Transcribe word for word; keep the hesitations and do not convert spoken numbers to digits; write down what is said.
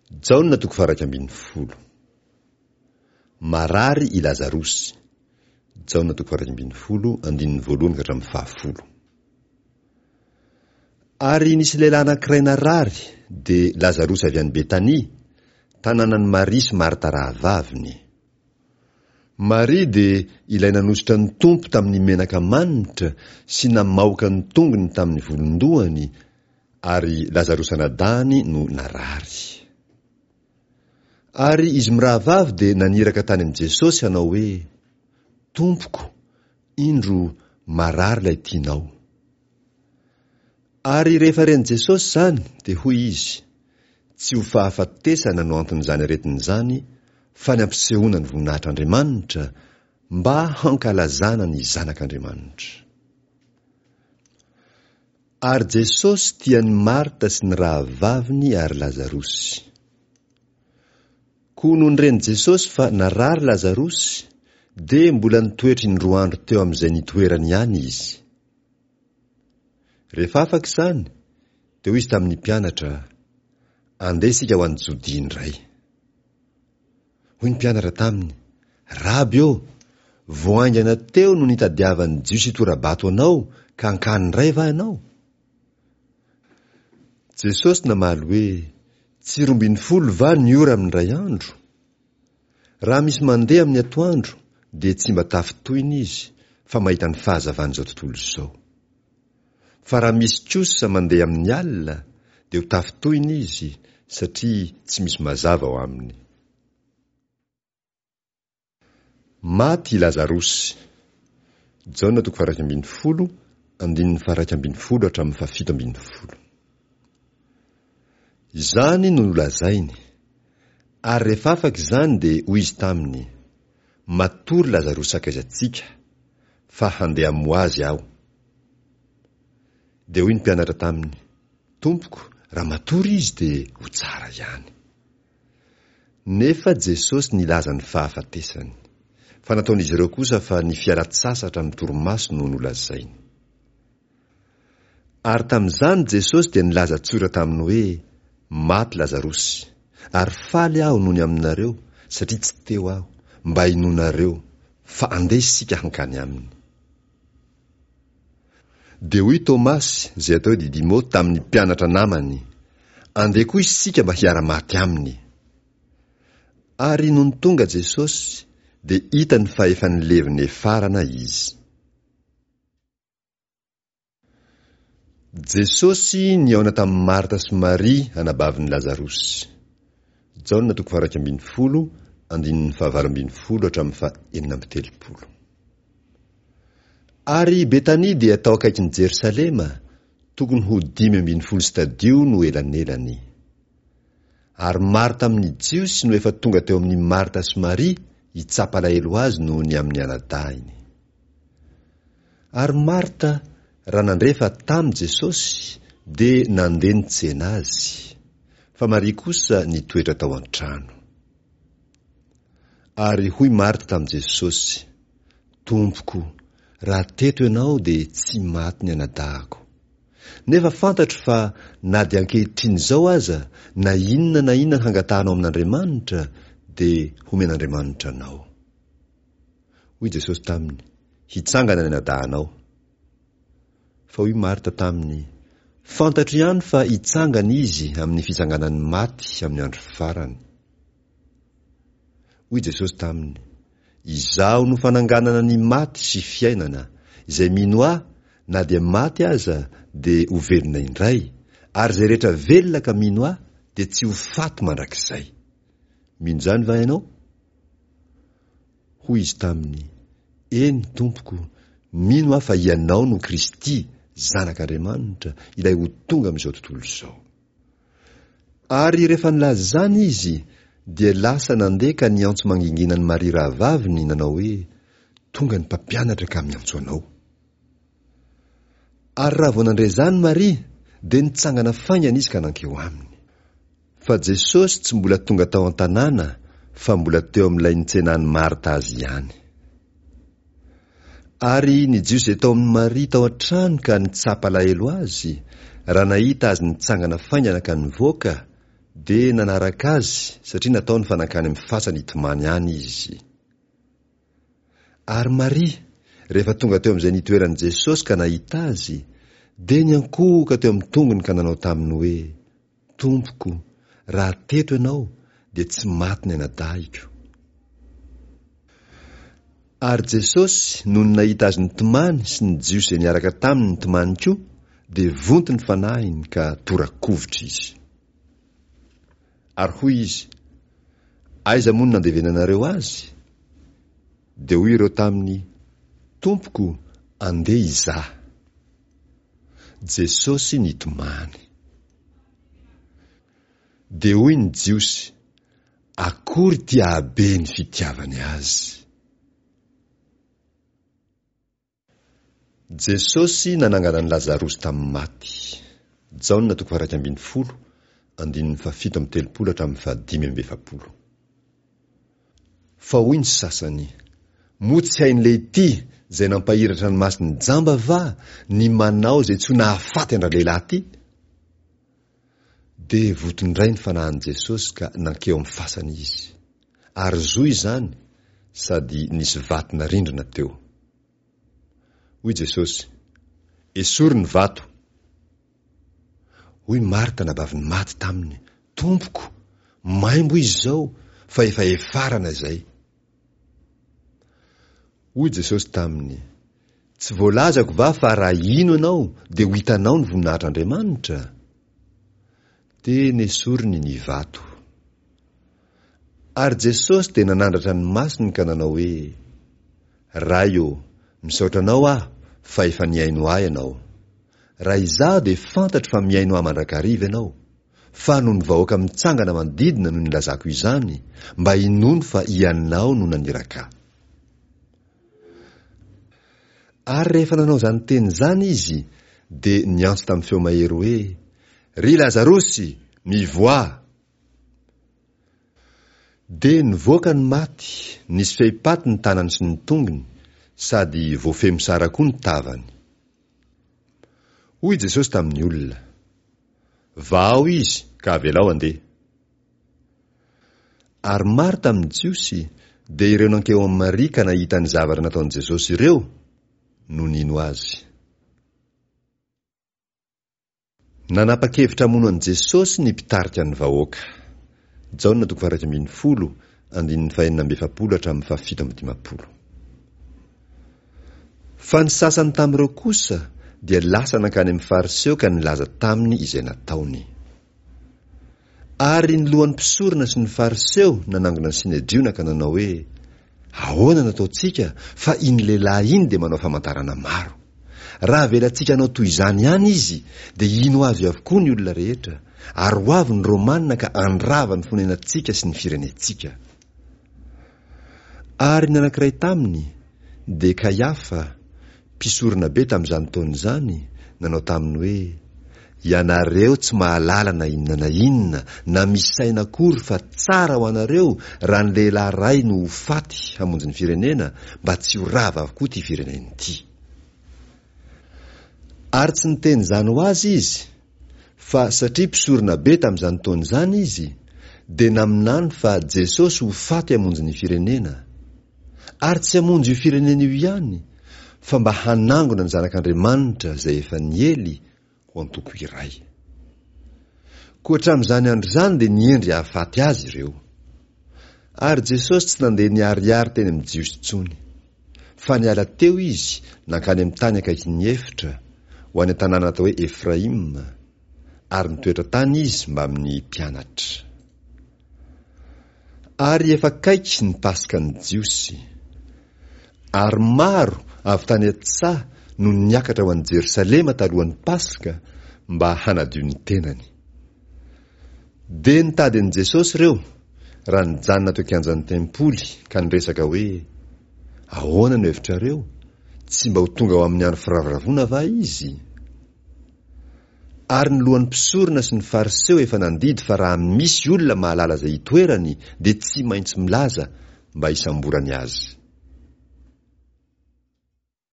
Jaona toko faha-iraika ambin'ny folo. Marary i Lazarosy. Jaona toko faha-iraika ambin'ny folo, andininy voalohany ka hatramin'ny fahafolo. Ary nisy lehilahy anankiray narary, dia Lazarosy avy any Betania, tanànan'i Maria sy Marta rahavaviny. Maria dia ilay nanosotra ny Tompo tamin'ny menaka manitra sy namaoka ny tongony tamin'ny volon-dohany, ary Lazarosy anadahiny no narary. Ary izy mirahavavy dia naniraka tany amin'i Jesosy hanao hoe, Tompoko, indro marary ilay tianao. Ary rehefa ren'i Jesosy izany, dia hoy izy, Tsy ho fahafatesana no anton'izany aretina izany, fa ny hampisehoana ny voninahitr'Andriamanitra, mba hankalazana ny Zanak'Andriamanitra. Ary Jesosy tia an'i Marta sy ny rahavaviny ary Lazarosy. Koa nony ren'i Jesosy fa narary Lazarosy, dia mbola nitoetra indroa andro teo amin'izay nitoerany ihany izy. Rehefa afaka izany, dia hoy izy tamin'ny mpianatra, Andeha isika ho any Jodia indray. Hoy ny mpianatra taminy, Raby ô, vao haingana teo no nitadiavan'ny Jiosy hitora-bato anao, ka hankany indray va ianao? Jesosy namaly hoe, Tsy roa ambin'ny folo va ny ora amin'ny iray andro? Raha misy mandeha amin'ny atoandro, dia tsy mba tafintohina izy, fa mahita ny fahazavan'izao tontolo izao. Fa raha misy kosa mandeha amin'ny alina, dia ho tafintohina izy, satria tsy misy mazava ao aminy. Maty i Lazarosy. Jaona toko faha-iraika ambin'ny folo, andininy faha-iraika ambin'ny folo hatramin'ny fahafito ambin'ny folo. Izany no nolazainy. Ary rehefa afaka izany dia hoy izy taminy, Matory Lazarosy sakaizantsika, fa handeha hamoha azy aho. Dia hoy ny mpianatra taminy, Tompoko, raha matory izy dia ho tsara ihany. Nefa Jesosy nilaza ny fahafatesany. Fa nataon'izy ireo kosa fa ny fialan-tsasatra amin'ny torimaso no nolazainy. Ary tamin'izany Jesosy dia nilaza tsotra taminy hoe, Maty Lazarosy. Ary faly Aho noho ny aminareo, satria tsy teo Aho, mba hinoanareo, fa andeha isika hankany aminy. Dia hoy Tomasy, izay atao hoe Didymo, tamin'ny mpianatra namany, Andeha koa isika mba hiara-maty aminy. Ary nony tonga Jesosy, dia hitany fa efa nilevina hefarana izy. Jesosy nihaona tamin'i Marta sy Maria anabavin'i Lazarosy. Jaona toko faha-iraika ambin'ny folo, andininy fahavalo ambin'ny folo hatramin'ny faha-enina amby telopolo. Ary Betania dia tao akaikin'i Jerosalema, tokony ho dimy ambin'ny folo stadio no elanelany. Ary maro tamin'ny Jiosy no efa tonga teo amin'i Marta sy Maria hitsapa alahelo azy noho ny amin'ny anadahiny. Ary Marta, raha nandre fa tamy Jesosy, dia nandeha nitsena azy, fa Maria kosa nitoetra tao an-trano. Ary hoy Marta tamin'i Jesosy, Tompoko, raha teto Ianao dia tsy maty ny anadahako. Nefa fantatro fa na dia ankehitriny izao aza, na inona na inona hangatahanao amin'Andriamanitra, dia homen'Andriamanitra anao. Hoy Jesosy taminy, Hitsangana ny anadahanao. Fa hoy Marta taminy, Fantatro ihany fa hitsangana izy amin'ny fitsanganan'ny maty amin'ny andro farany. Hoy Jesosy taminy, Izaho no fananganana ny maty sy fiainana, izay mino Ahy, na dia maty aza, dia ho velona indray, ary izay rehetra velona ka mino Ahy, dia tsy ho faty mandrakizay. Mino izany va ianao? Hoy izy taminy, Eny, Tompoko, mino aho fa Ianao no Kristy, Zanak'Andriamanitra, ilay ho tonga amin'izao tontolo izao. Ary rehefa nilaza izany izy, dia lasa nandeha ka niantso mangingina an'i Maria rahavaviny, nanao hoe, Tonga ny Mpampianatra ka miantso anao. Ary raha vao nandre izany Maria, dia nitsangana faingana izy ka nankeo aminy. Fa Jesosy tsy mbola tonga tao an-tanàna, fa mbola teo amin'ilay nitsenan'i Marta azy ihany. Ary ny Jiosy izay tao amin'i Maria tao an-trano ka nitsapa alahelo azy, raha nahita azy nitsangana faingana ka nivoaka, dia nanaraka azy satria nataony fa nankany amin'ny fasany hitomany any izy. Ary Maria, rehefa tonga teo amin'izay nitoeran'i Jesosy ka nahita azy, dia niankohoka teo amin'ny tongony ka nanao taminy hoe, Tompoko, raha teto ianao, dia tsy maty ny anadahiko. Ary Jesosy, nony nahita azy nitomany sy ny Jiosy izay niaraka taminy nitomany koa, dia vonto ny fanahiny ka tora-kovitra izy. Ary hoy izy, Aiza moa no nandevenanareo azy? Dia hoy ireo taminy, Tompoko, andeha hizaha. Jesosy nitomany. Dia hoy ny Jiosy, Akory ity hahabe ny fitiavany azy! Jesosy nanangana an'i Lazarosy tamin'ny maty. Jaona toko faha-iraika ambin'ny folo, andininy fahafito amby telopolo hatramin'ny fahadimy amby efapolo. Fa hoy ny sasany, Moa tsy hain'ilehity izay nampahiratra ny mason'ny jamba va ny manao izay tsy ho nahafaty an-dralehilahy ity? Dia voton-dray ny fanahin'i Jesosy ka nankeo amin'ny fasana izy. Ary zo izany, sady nisy vato narindrina teo. Hoy Jesosy, Esory ny vato. Hoy Marta anabavin'ny maty taminy, Tompoko, maimbo izy izao, fa efa hefarana izay. Hoy Jesosy taminy, Tsy voalazako va fa raha hino ianao dia ho hitanao ny voninahitr'Andriamanitra? Dia nesoriny ny vato. Ary Jesosy dia nanandratra ny masony ka nanao hoe, Ray ô, misaotra Anao aho fa efa nihaino ahy Ianao. Raha izaho dia fantatro fa mihaino ahy mandrakariva Ianao, fa noho ny vahoaka mitsangana manodidina no nilazako izany, mba hinoany fa Ianao no naniraka ahy. Ary rehefa nanao izany teny izany Izy, dia niantso tamin'ny feo mahery hoe, Ry Lazarosy, mivoaha! Dia nivoaka ny maty, nisy fehipaty ny tanany sy ny tongony, sady voafehy mosara koa ny tavany. Hoy Jesosy tamin'ny olona, Vahao izy ka avelao handeha. Ary maro tamin'ny Jiosy, dia ireo nankeo amin'i Maria ka nahita ny zavatra nataon'i Jesosy ireo, no nino Azy. Nanapa-kevitra hamono an'i Jesosy ny mpitarika ny vahoaka. Jaona toko faha-iraika ambin'ny folo, andininy fahenina amby efapolo hatramin'ny fahafito amby dimampolo. Fa ny sasany tamin'ireo kosa dia lasa nankany amin'ny Fariseo ka nilaza taminy izay nataony. Ary ny lohan'ny mpisorona sy ny Fariseo nanangona ny Synedriona ka nanao hoe, Ahoana no ataontsika fa iny lehilahy iny dia manao famantarana maro. Raha avelantsika hanao toy izany ihany izy, dia hino azy avokoa ny olona rehetra, ary ho avy ny Romana ka handrava ny fonenantsika sy ny firenentsika. Ary ny anankiray taminy, dia Kaiafa, mpisoronabe tamin'izany taona izany, nanao taminy hoe, Ianareo tsy mahalala na inona na inona, na misaina akory fa tsara ho anareo raha ny lehilahy iray no ho faty hamonjy ny firenena mba tsy ho rava avokoa ity firenena ity. Ary tsy niteny izany ho azy izy, fa satria mpisoronabe tamin'izany taona izany izy, dia naminany fa Jesosy ho faty hamonjy ny firenena. Ary tsy hamonjy io firenena io ihany, fa mba hanangona ny zanak'Andriamanitra izay efa niely ho antoko iray. Koa hatramin'izany andro izany dia nihendry hahafaty azy ireo. Ary Jesosy tsy nandeha niharihary teny amin'ny Jiosy intsony. Fa niala teo Izy nankany amin'ny tany akaikin'ny efitra, ho any an-tanàna atao hoe Efraima, ary nitoetra tany Izy mbamin'ny mpianatra. Ary efa akaiky ny Paskan'ny Jiosy. Ary maro avy tany an-tsaha no niakatra ho any Jerosalema talohan'ny Paska mba hanadio ny tenany. Dia nitady an'i Jesosy ireo, raha nijanona teo an-kianjan'ny tempoly ka niresaka hoe, Ahoana no hevitrareo? Tsy mba ho tonga ho amin'ny andro firavoravoana va Izy? Ary ny lohan'ny mpisorona sy ny Fariseo efa nandidy fa raha misy olona mahalala izay itoerany dia tsy maintsy milaza mba hisamborany azy.